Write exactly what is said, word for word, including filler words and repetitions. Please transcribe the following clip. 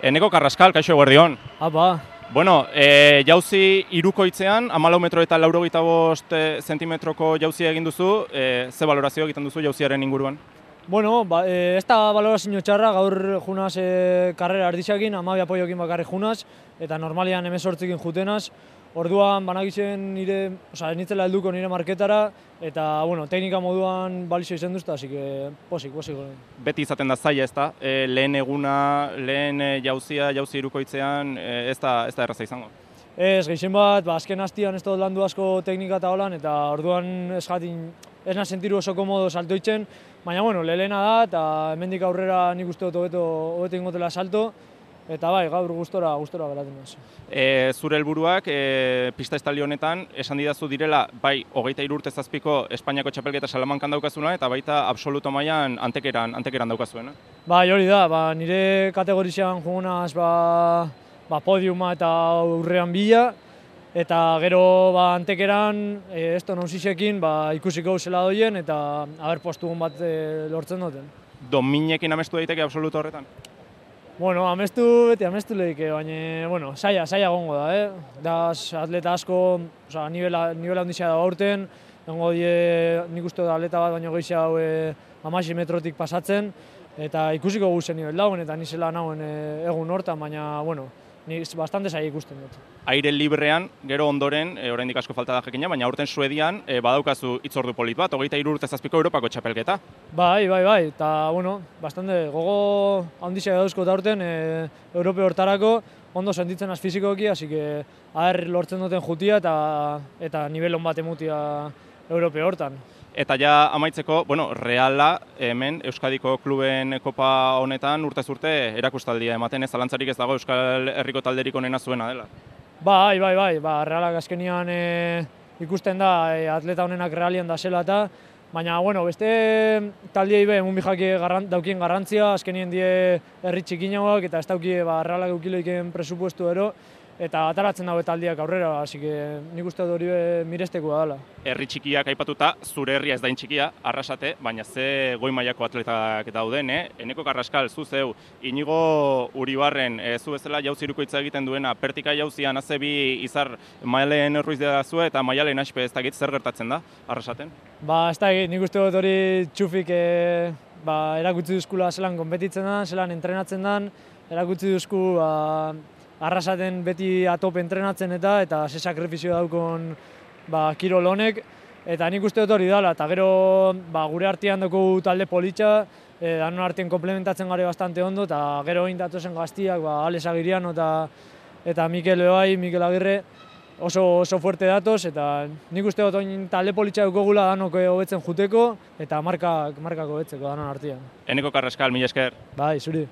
Eneko Carrascal, kaixo eguerdion. Apa. Bueno, e, jauzi hirukoitzean, hamalau metro eta laurogeita bost zentimetroko jauzia egin duzu, e, ze valorazio egiten duzu jauziaren inguruan? Bueno, ba, e, ez da valorazio txarra, gaur junaz e, karrera arditxakin, amabi apoiokin bakarrik junaz, eta normalian hemezortzikin jutenaz. Orduan banagitzen nire, oza, ez nitzela helduko nire marketara, eta, bueno, teknika moduan balizio izan duzta, así que posik, posik. Beti izaten da zaila, ez da? E, lehen eguna, lehen jauzia, jauzi hirukoitzean, e, ez da, ez da erraza izango? Ez, gehien bat, ba, azken hastian ez dut landu asko teknika eta holan, eta orduan ez jatin, ez nahi sentiru oso komodo saltoitzen, baina, bueno, lehena da, eta hemendik aurrera nik uste dut hobeto, hobeto ingotela salto, eta bai, gaur gustora, gustora geratzen naiz. E, zure helburuak e, pista estali honetan esan didazu direla bai hogeita hiru urte zazpiko Espainiako txapelketa Salamankan daukazuna eta baita absoluto mailan antekeran antekeran daukazuena. Bai, hori da, ba, nire kategorizean jugunaz ba, ba, podiuma eta urrean bila, eta gero ba, antekeran e, esto nausisekin ba, ikusiko zela doien eta haber postugun bat e, lortzen duten. Dominekin amestu daiteke absoluto horretan? Bueno, amestu, beti amestu lehike, baina, bueno, saia, saia gongo da, eh? Da, atleta asko, oza, nivela, nivela ondizia da aurten, gongo die, nik uste da atleta bat baino gehi hau e, amaxi metrotik pasatzen, eta ikusiko guzen nivel dauen, eta nizela nauen e, egun hortan, baina, bueno, ni bastante saia ikusten dut. Aire librean, gero ondoren, e, oraindik asko falta da jakina, baina aurten Suedian e, badaukazu hitzordu polit bat, hogeita hiru urte zazpiko Europako txapelketa. Bai, bai, bai, eta, bueno, bastante gogo handizia dauzko aurten e, Europe hortarako, ondo sentitzen az fizikoki, hasi que aher lortzen duten jutia eta eta nivel on bat emutia Europe hortan. Eta ja amaitzeko, bueno, Reala hemen Euskadiko kluben kopa honetan urtez urte erakustaldia ematen, ez zalantzarik ez dago Euskal Herriko talderik onena zuena dela. Bai, bai, bai, ba, Realak azkenian e, ikusten da e, atleta honenak Realian da zela eta, baina, bueno, beste taldiei be, munbijak garran, daukien garrantzia, azkenien die herri txikinauak eta ez daukie ba, Realak eukiloiken presupuestu ero, eta ataratzen dago taldiak aurrera, hasi que nik uste dut hori mirestekoa dela. Herri txikiak aipatuta, zure herria ez da txikia, Arrasate, baina ze goi mailako atletak dauden, eh? Eneko Carrascal, zu zeu, Inigo Uribarren, e, zu bezala jauzi hirukoitza egiten duena, pertika jauzian azebi izar Maialen Ruiz da zu eta Maialen Aspe ez dakit zer gertatzen da, Arrasaten? Ba, ez da, nik uste dut hori txufik e, ba, erakutsi duzkula zelan konpetitzen da, zelan entrenatzen da, erakutsi duzku ba, Arrasaten beti atop entrenatzen eta eta ze sakrifizio daukon ba, kirol honek, eta nik uste dut hori dela, eta gero ba, gure artean dugu talde politxa, e, danon artean komplementatzen gare bastante ondo, eta gero egin datozen gaztiak, ba, Alex Agiriano eta, eta Mikel Bebai, Mikel Agirre, oso, oso fuerte datoz, eta nik uste dut oin talde politxa dukogula danok hobetzen juteko, eta markak, markak hobetzeko danon artean. Eneko Carrascal, mila esker. Bai, zuri.